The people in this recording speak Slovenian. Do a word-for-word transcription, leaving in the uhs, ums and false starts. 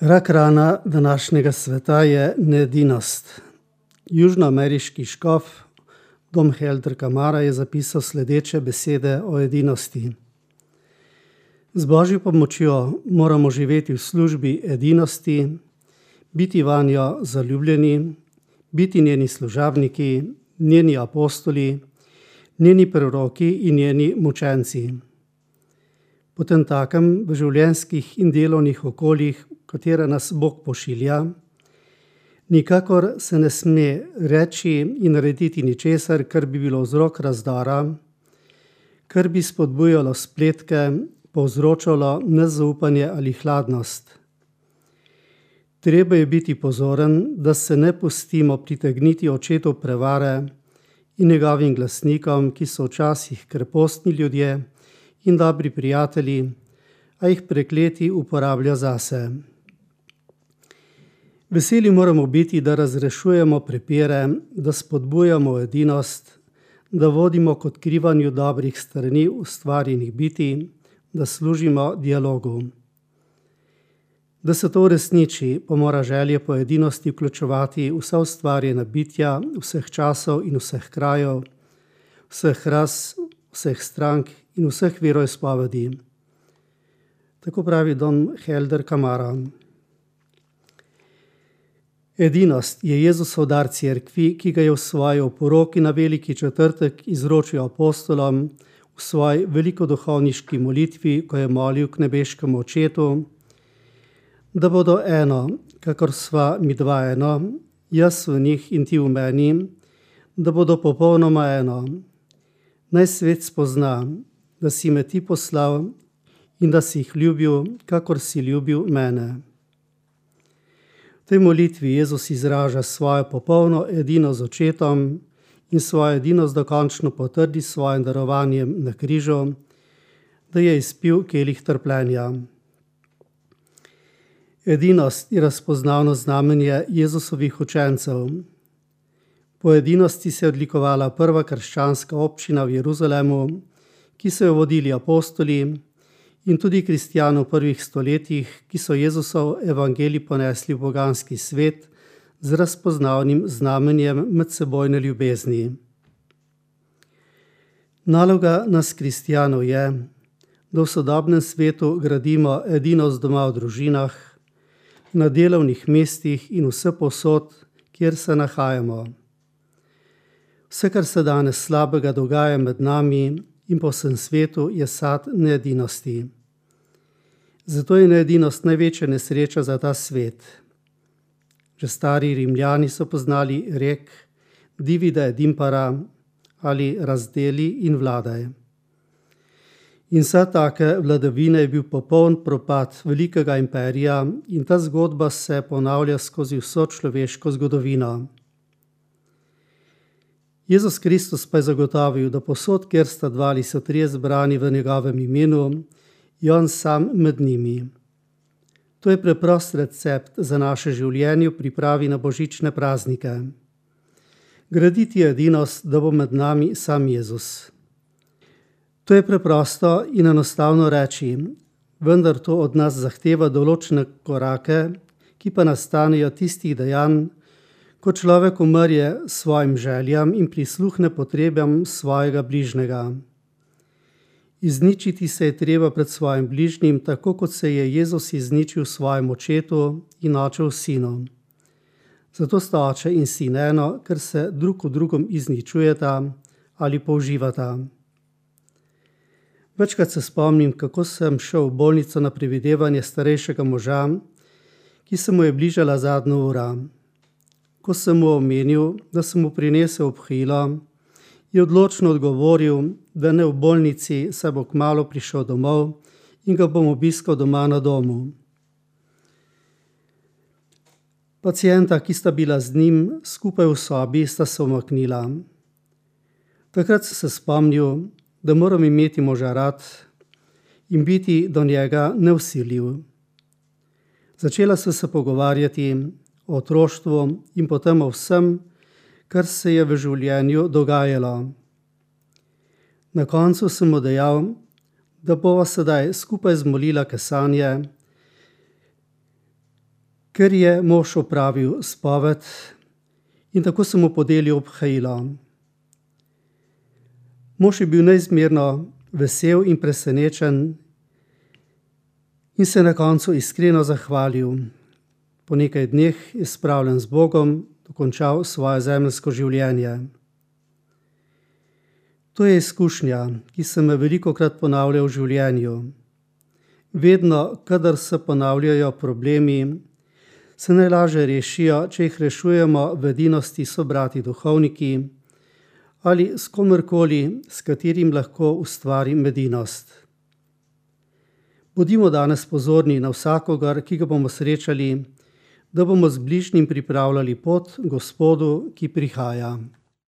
Rak rana današnjega sveta je needinost. Južnoameriški škof Dom Helder Camara je zapisal sledeče besede o edinosti. Z Božjo pomočjo moramo živeti v službi edinosti, biti vanjo zaljubljeni, biti njeni služabniki, njeni apostoli, njeni proroki in njeni mučenci. Potem takem v življenjskih in delovnih okoljih, katere nas Bog pošilja, nikakor se ne sme reči in narediti ničesar, kar bi bilo vzrok razdora, kar bi spodbujalo spletke, povzročalo nezaupanje ali hladnost. Treba je biti pozoren, da se ne pustimo pritegniti očetov prevare in njegovim glasnikom, ki so včasih krepostni ljudje in dobri prijatelji, a jih prekleti uporablja zase. Veseli moramo biti, da razrešujemo prepire, da spodbujamo edinost, da vodimo k odkrivanju dobrih strani ustvarjenih bitij, da služimo dialogu. Da se to uresniči, pa mora želje po edinosti vključevati vsa ustvarjena bitja, vseh časov in vseh krajev, vseh ras, vseh strank in vseh veroizpovedi. Tako pravi Dom Helder Camara. Edinost je Jezusov dar cerkvi, ki ga je v svoji oporoki na veliki četrtek izročil apostolom v svoji velikoduhovniški molitvi, ko je molil k nebeškemu Očetu, da bodo eno, kakor sva mi dva eno, jaz v njih in ti v meni, da bodo popolnoma eno. Naj svet spozna, da si me ti poslal in da si jih ljubil, kakor si ljubil mene. V tej molitvi Jezus izraža svojo popolno edinost z Očetom in svojo edinost dokončno potrdi s svojim darovanjem na križu, da je izpil kelih trpljenja. Edinost je razpoznavno znamenje Jezusovih učencev. Po edinosti se je odlikovala prva krščanska občina v Jeruzalemu, ki so jo vodili apostoli, in tudi kristjani v prvih stoletjih, ki so Jezusov evangelij ponesli v poganski svet z razpoznavnim znamenjem medsebojne ljubezni. Naloga nas kristjanov je, da v sodobnem svetu gradimo edinost doma v družinah, na delovnih mestih in vsepovsod, kjer se nahajamo. Vse, kar se danes slabega dogaja med nami in po vsem svetu, je sad needinosti. Zato je needinost največja nesreča za ta svet. Že stari Rimljani so poznali rek divide et impera ali razdeli in vladaj. In vsa take vladavine je bil popoln propad velikega imperija in ta zgodba se ponavlja skozi vso človeško zgodovino. Jezus Kristus pa je zagotovil, da posod, kjer sta dva ali so trije zbrani v njegovem imenu, je on sam med njimi. To je preprost recept za naše življenje v pripravi na božične praznike. Graditi je edinost, da bo med nami sam Jezus. To je preprosto in enostavno reči, vendar to od nas zahteva določene korake, ki pa nastanejo tistih dejanj, ko človek umrje svojim željam in prisluhne potrebam svojega bližnjega. Izničiti se je treba pred svojim bližnjim, tako kot se je Jezus izničil svojemu Očetu in Oče v Sinu. Zato sta Oče in Sin eno, ker se drug v drugom izničujeta ali použivata. Večkrat se spomnim, kako sem šel v bolnico na previdevanje starejšega moža, ki se mu je bližala zadnja ura. Ko sem mu omenil, da sem mu prinesel obhilo, je odločno odgovoril, da ne v bolnici, saj bo kmalu prišel domov in ga bom obiskal doma na domu. Pacienta, ki sta bila z njim skupaj v sobi, sta se umaknila. Takrat sem se spomnil, da moram imeti moža rad in biti do njega nevsiljiv. Začela sva se pogovarjati o otroštvu in potem o vsem, kar se je v življenju dogajalo. Na koncu sem mu dejal, da bova sedaj skupaj zmolila kesanje, ker je mož opravil spoved in tako se mu podelil obhajilo. Mož je bil neizmerno vesel in presenečen in se na koncu iskreno zahvalil. Po nekaj dneh je spravljen z Bogom dokončal svoje zemeljsko življenje. To je izkušnja, ki se me velikokrat ponavlja v življenju. Vedno, kadar se ponavljajo problemi, se najlažje rešijo, če jih rešujemo v edinosti sobrati duhovniki ali s komorkoli, s katerim lahko ustvarim edinost. Bodimo danes pozorni na vsakogar, ki ga bomo srečali, da bomo z bližnjim pripravljali pot Gospodu, ki prihaja.